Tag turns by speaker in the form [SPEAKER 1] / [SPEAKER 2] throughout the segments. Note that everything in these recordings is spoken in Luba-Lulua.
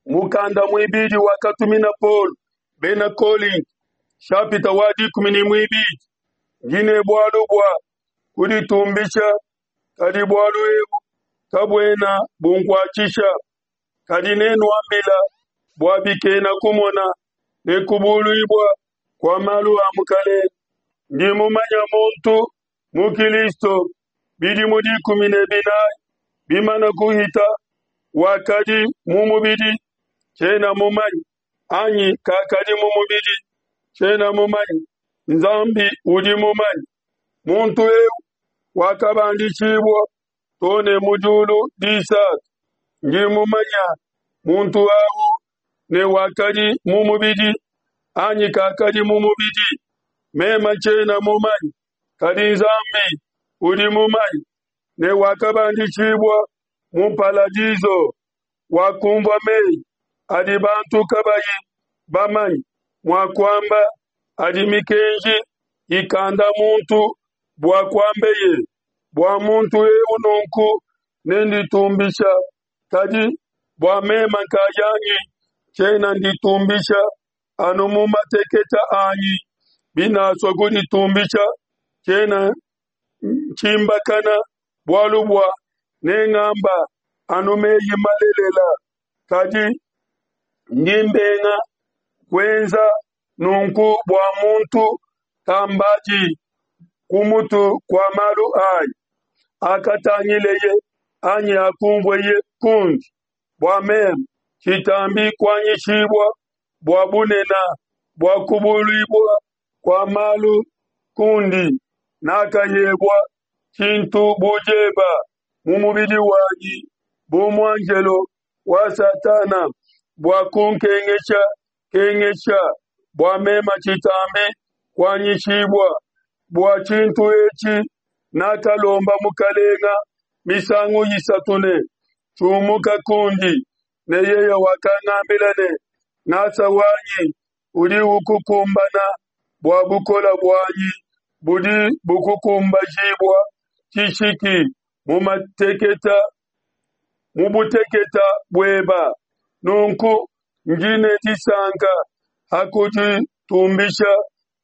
[SPEAKER 1] Mukanda muibidi wakatumina Paulo bena Kolinto, shapita wa 12. Ndi ne bualu bua kuditumbisha, kadi bualu ebu kabuena bunkuatshisha. Kadi nenuambila bua bikena kumona ne kubuluibua kua malu a Mukalenge. Ndi mumanya muntu mu Kilisto bidimu 14 bimana kuhita, wakadi mu mubidi, tshiena mumanye, anyi kakadi mu mubidi, tshiena mumanye, Nzambi udi mumanye. Muntu eu wakabandishibua to ne mu diulu disatu. Ndi mumanya muntu au ne wakadi mu mubidi anyi kakadi mu mubidi, mema tshiena mumanye, kadi Nzambi udi mumanye, ne wakabandishibua mu paladiso, wakumvua meyi adi bantu kabayi bamanye mua kuamba, adi mikenji ikanda muntu bua kuambeye. Bua muntu eu nunku nenditumbisha, kadi bua mema nkayanyi tshiena nditumbisha anu mu mateketa anyi. Binasua kuditumbisha, tshiena ntshimbakana, bualu bua nengamba anu meyi malelela. Kadi ndi mbenga kuenza nunku bua muntu kambadi ku mutu kua malu anyi akatangileye anyi akumvueye kundi, bua meme tshitambi kuanyishibua bua bunene bua kubuluibua kua malu kundi. Nakahebua tshintu bu dieba mu mubidi wanyi bu muanjelo wa Satana bua kunkengesha kengesha, bua mema tshitambi kuanyishibua. Bua tshintu etshi nakalomba Mukalenga misangu isatu ne, Tshiumuka kundi. Ne yeye wakangambila ne, Ngasa wanyi udi ukukumbana, bua bukola buanyi budi bukukumbajibua tshishiki mu mateketa mu buteketa bueba. Nunku ndi ne disanka ha kuditumbisha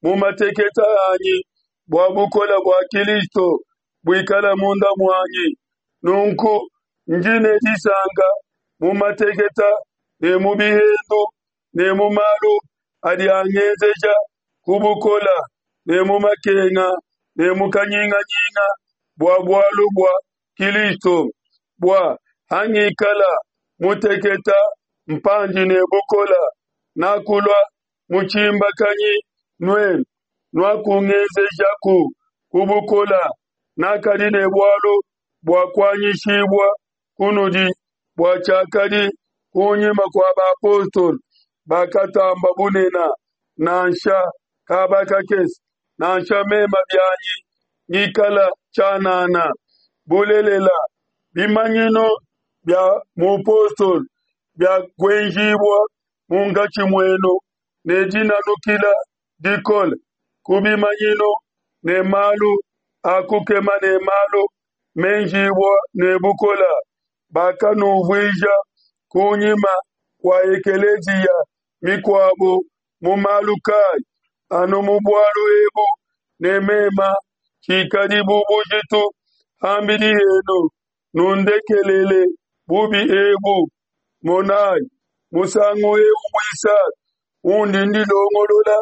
[SPEAKER 1] mu mateketa anyi, bua bukola bua Kilisto buikala munda muanyi. Nunku ndi ne disanka mu mateketa ne mu bihendu ne mu malu adi angenzeja ku bukola ne mu makenga ne mu kanyinganyinga bua bualu bua Kilisto, bua hangikala muteketa mpandi ne bukola, nakulua mutshimbakanyi nuenu nuakungenzejaku ku bukola, nakadi ne bualu bua kuanyishibua kunudi bua tshiakadi kunyima kua bapostolo bakatamba bunena, nansha kaba kakese, nansha mema bianyi ngikala tshianana. Bulelela, bimanyinu bia mupostolo bia kuenjibua munkatshi muenu ne dinanukila dikole ku bimanyinu ne malu a kukema ne malu menjibua ne bukola, bakanuvuija kunyima kua ekeleziya mikuabo mu malu kayi, anu mu bualu ebu ne mema tshikadi bu bujitu hambidi henu, nundekelele bubi ebu. Monai, musangu eu muisatu undi ndilongolola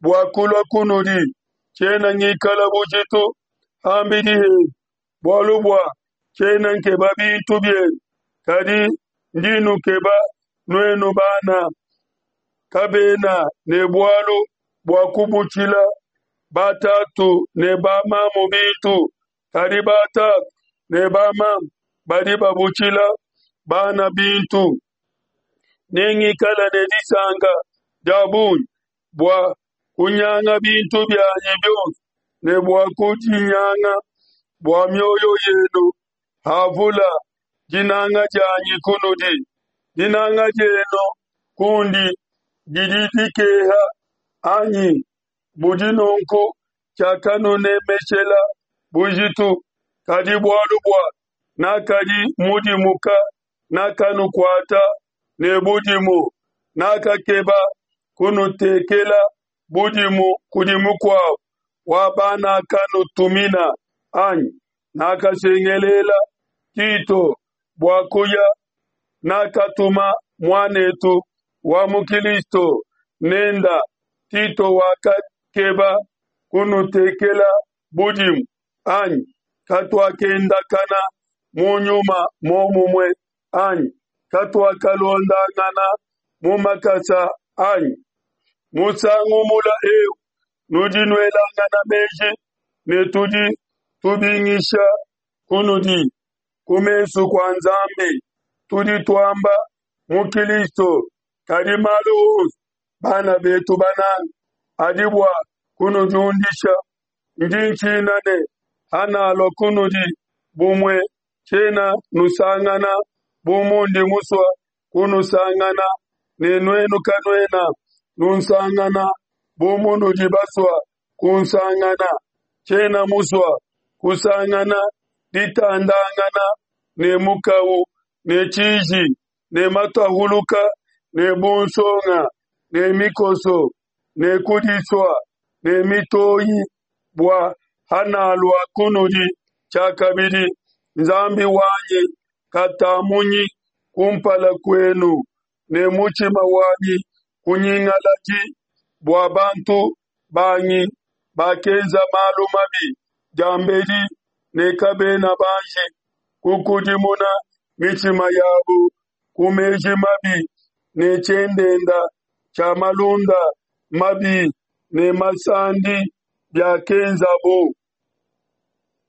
[SPEAKER 1] bua kulua kunudi, tshiena ngikala bujitu hambidi henu, bualu bua tshiena nkeba bintu bienu, kadi ndi nukeba nuenu bana. Kabena ne bualu bua kubutshila batatu ne bamamu bintu, kadi batatu ne bamamu badi babutshila bana bintu. Nengikale ne disanka dia bungi bua kunyanga bintu bianyi bionso ne bua kudinyanga bua mioyo yenu havula dinanga dianyi kunudi. Dinanga dienu kundi didi dikeha anyi? Budi nunku tshiakanunemeshela bujitu, kadi bualu bua nakadi mudimuka nakanukuata. ne budimu, nakakeba kunutekela budimu kudi mukuabo wa banakanutumina, anyi? Nakasengelela Tito bua kuya, nakatuma muan'etu wa mu Kilisto nenda. Tito wakakeba kunutekela budimu, anyi? Katuakendakana mu nyuma muomumue, anyi? Katuakalondangana mu makasa, anyi? Musangu mula eu nudi nuelangana meji ne tudi tubingisha kunudi ku mesu kua Nzambi. Tudi tuamba mu Kilisto, kadi malu onso, bana betu bananga, adi bua kunudiundisha. Ndi ntshina ne, hanalua kunudi, bumue tshiena nusangana bu mundi musua kunusangana, ne nuenu kanuena nunsangana bu munudi basua kunsangana. Tshiena musua kusangana ditandangana ne mukau ne tshiji ne matahuluka ne bunsonga ne mikoso ne kudisua ne mitoyi, bua hanalua kunudi tshiakabidi, Nzambi wanyi katamunyi kumpala kuenu, ne mutshima wanyi kunyingaladi bua bantu banyi bakenza malu mabi diambedi ne kabena banji kukudimuna mitshima yabo ku meji mabi ne tshiendenda tshia malunda mabi ne masandi biakenzabo.